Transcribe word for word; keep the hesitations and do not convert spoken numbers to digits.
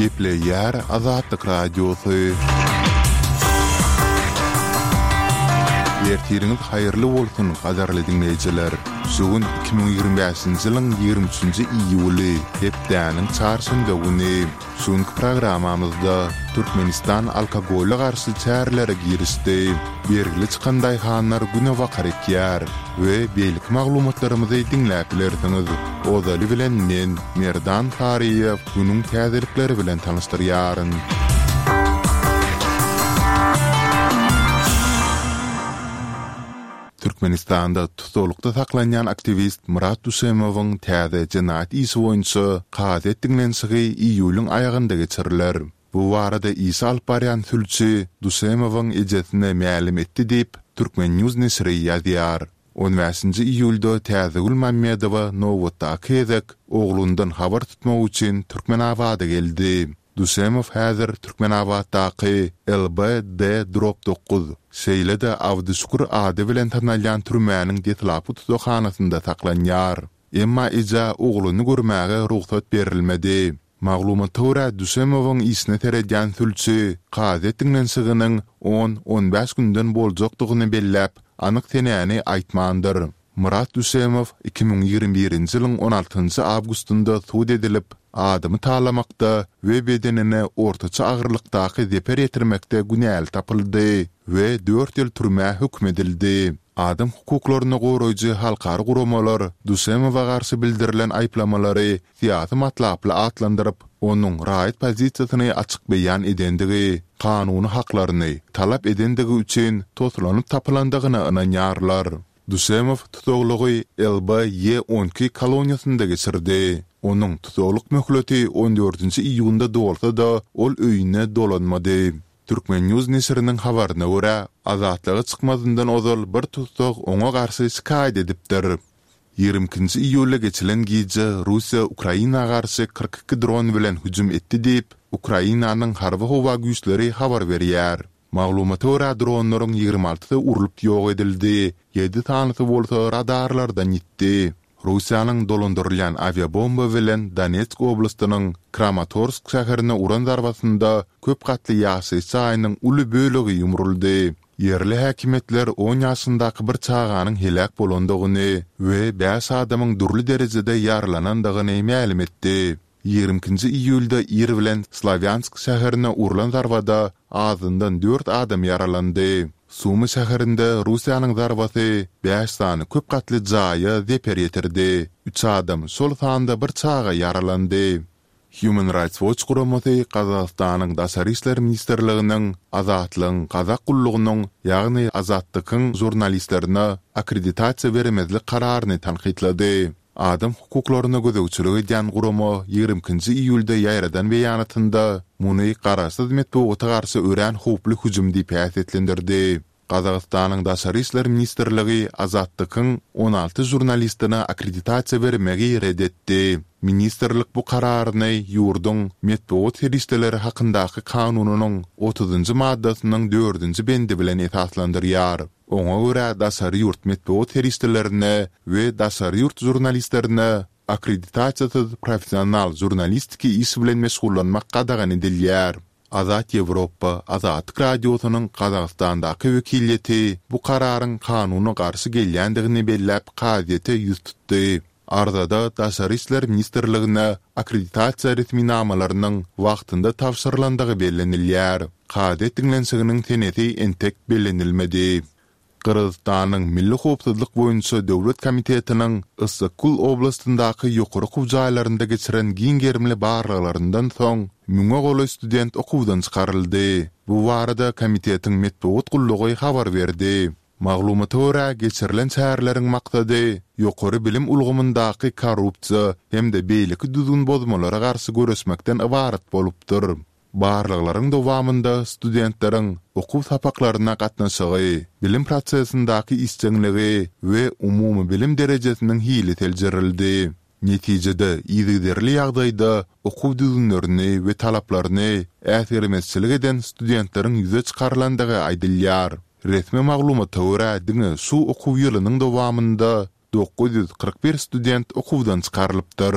Gepleýär Azatlyk Radiosy. Ertiriňiz haýyrly bolsun, gadyrly diňleýjiler! Şu gün iki müň ýigrimi bäşinji ýylyň ýigrimi üçünji iýuly, hepdäniň çarşenbe güni. Şu günki programmamyzda Türkmenistan alkogola garşy çärelere girişdi, bergili çykan daýhanlar günebakar ekýär we beýleki maglumatlarymyzy diňläp bilersiňiz. Ozaly bilen men, Merdan Saryýew, günüň täzelikleri bilen tanyşdyrýaryn. Türkmenistanda tussaglykda saklanýan aktiwist Myrat Duşemowyň täze jenaýat işi boýunça kazyýet diňlenişigi iýulyň aýagynda geçiriler. Bu barada işi alyp barýan sülçi Duşemowyň ejesine mälim etdi diýip, Turkmen. News neşiri ýazýar. On bäşinji iýulda Täzegül Mammedowa nobatdaky gezek oglundan habar tutmak üçin Türkmenabada geldi. Duşemow häzir Türkmenabatdaky LBD drop dokuz, şeýle-de Abdyşükür ady bilen tanalýan türmäniň deslapky tussaghanasynda saklanýar. Emma ejä ogluny görmäge rugsat berilmedi. Maglumata görä, Duşemowyň işine seredýän sülçi kazyýet diňlenişiginiň on-on bäş günden boljakdygyny belläp, anyk senäni aýtmandyr. Myrat Düşemow iki müň ýigrimi birinji ýylyň on altynjy awgustynda sud edilip, adamy talamakda we bedenine ortaça agyrlykdaky zeper ýetirmekde günäli tapyldy we dört ýyl türmä höküm edildi. Adam hukuklaryny goraýjy halkara guramalar Düşemowa garşy bildirilen aýyplamalary syýasy matlaply atlandyryp, onuň raýat pozisiýasyny açyk beýan edendigi, kanuny haklaryny talap edendigi üçin toslanyp tapylandygyna ynanýarlar. Duşemow tussaglygy LBY on iki koloniýasynda geçirdi. Onuň tussaglyk möhleti on dördünji iýunda dolsa-da, ol öýüne dolanmady. Turkmen. News neşiriniň habaryna görä, azatlyga çykmazyndan ozal bir tussag oňa garşy şikaýat edipdir. Ýigrimi ikinji iýulda geçilen gije Russiýa Ukraina garşy kyrk iki dron bilen hüjüm etdi diýip, Ukrainanyň Harby-howa güýçleri habar berýär. Maglumata görä, dronlaryň ýigrimi altysy urlup ýok edildi, ýedi sanysy bolsa radarlardan ýitdi. Russiýanyň dolandyrylýan awiabomba bilen Donetsk oblastynyň Kramatorsk şäherine uran zarbasynda köp gatly ýaşaýyş jaýynyň uly bölegi ýumruldy. Ýerli häkimiýetler on ýaşyndaky bir çaganyň heläk bolandygyny we bäş adamyň dürli derejede ýaralanandygyny mälim etdi. Ýigrimi ikinji iýulda ir bilen Slawýansk şäherine urlan zarbada azyndan dört adam ýaralandy. Sumy şäherinde Russiýanyň zarbasy bäş sany köp gatly jaýa zeper ýetirdi. Üç adam, şol sanda bir çaga ýaralandy. Human Rights Watch guramasy Gazagystanyň Daşary işler ministrliginiň Azatlygyň gazak gullugynyň, ýagny Azattykyň žurnalistlerine akkreditasiýa bermezlik kararyny tankytlady. Adam hukuklaryna gözegçilik edýän gurama ýigrimi ikinji iýulda ýaýradan beýanatynda muny garaşsyz metbugata garşy örän howply hüjüm diýip häsiýetlendirdi. Gazagystanyň Daşary işler ministrligi Azattykyň on alty žurnalistine akkreditasiýa bermegi ret etdi. Ministrlik bu kararyny ýurduň Metbugat serişdeleri hakyndaky kanunynyň otuzynjy maddasynyň dördünji bendi bilen esaslandyrýar. Oňa görä, daşary ýurt metbugat serişdelerine we daşary ýurt žurnalistlerine akkreditasiýasyz professional žurnalistiki iş bilen meşgullanmak gadagan edilýär. Azat Ýewropa, Azatlyk Radiosynyň Gazagystandaky wekiliýeti bu kararyň kanuna garşy gelýändigini belläp kazyýete ýüz tutdy. Arzada Daşary işler ministrligine akkreditasiýa resminamalarynyň wagtynda tabşyrylandygy bellenilýär. Kazyýet diňlenişiginiň senesi entek bellenilmedi. Gyrgyzystanyň Milli howpsuzlyk boýunça döwlet komitetiniň Yssyk-Kul oblastyndaky ýokary okuw jaýlarynda geçiren giň gerimli barlaglaryndan soň, müňe golaý student okuwdan çykaryldy. Bu barada komitetiň metbugat gullugy habar berdi. Maglumata görä, geçirilen çäreleriň maksady ýokary bilim ulgamyndaky korrupsiýa hem-de beýleki düzgün bozmalara garşy göreşmekden ybarat bolupdyr. Barlaglaryň dowamynda studentleriň okuw sapaklaryna gatnaşygy, bilim prosesindäki işjeňligi we umumybilim derejesiniň hili seljerildi. Netijede, yzygiderli ýagdaýda okuw düzgünlerini we talaplaryny äsgermezçilik eden studentleriň ýüze çykarylandygy aýdylýar. Resmi maglumata görä, diňe şu okuw ýylynyň dowamynda dokuz ýüz kyrk bir student okuwdan çykarylypdyr.